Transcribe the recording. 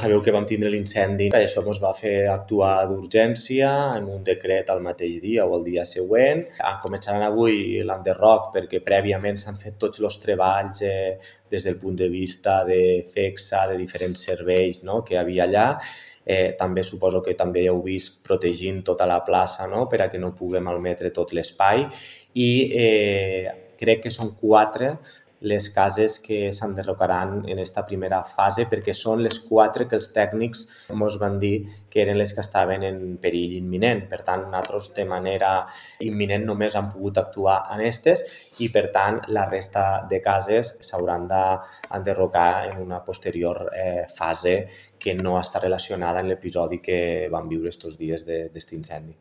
Sabeu que vam tindre l'incendi, això ens va fer actuar d'urgència en un decret el mateix dia o el dia següent. Començaran avui l'enderroc perquè prèviament s'han fet tots els treballs des del punt de vista de FECSA, de diferents serveis, no?, que hi havia allà. També suposo que també heu vist protegint tota la plaça, no?, per a que no puguem malmetre tot l'espai. I crec que són 4 les cases que s'enderrocaran en aquesta primera fase perquè són les 4 que els tècnics ens van dir que eren les que estaven en perill imminent. Per tant, nosaltres de manera imminent només han pogut actuar en aquestes i, per tant, la resta de cases s'hauran d'enderrocar en una posterior fase que no està relacionada amb l'episodi que vam viure aquests dies d'aquest incendi.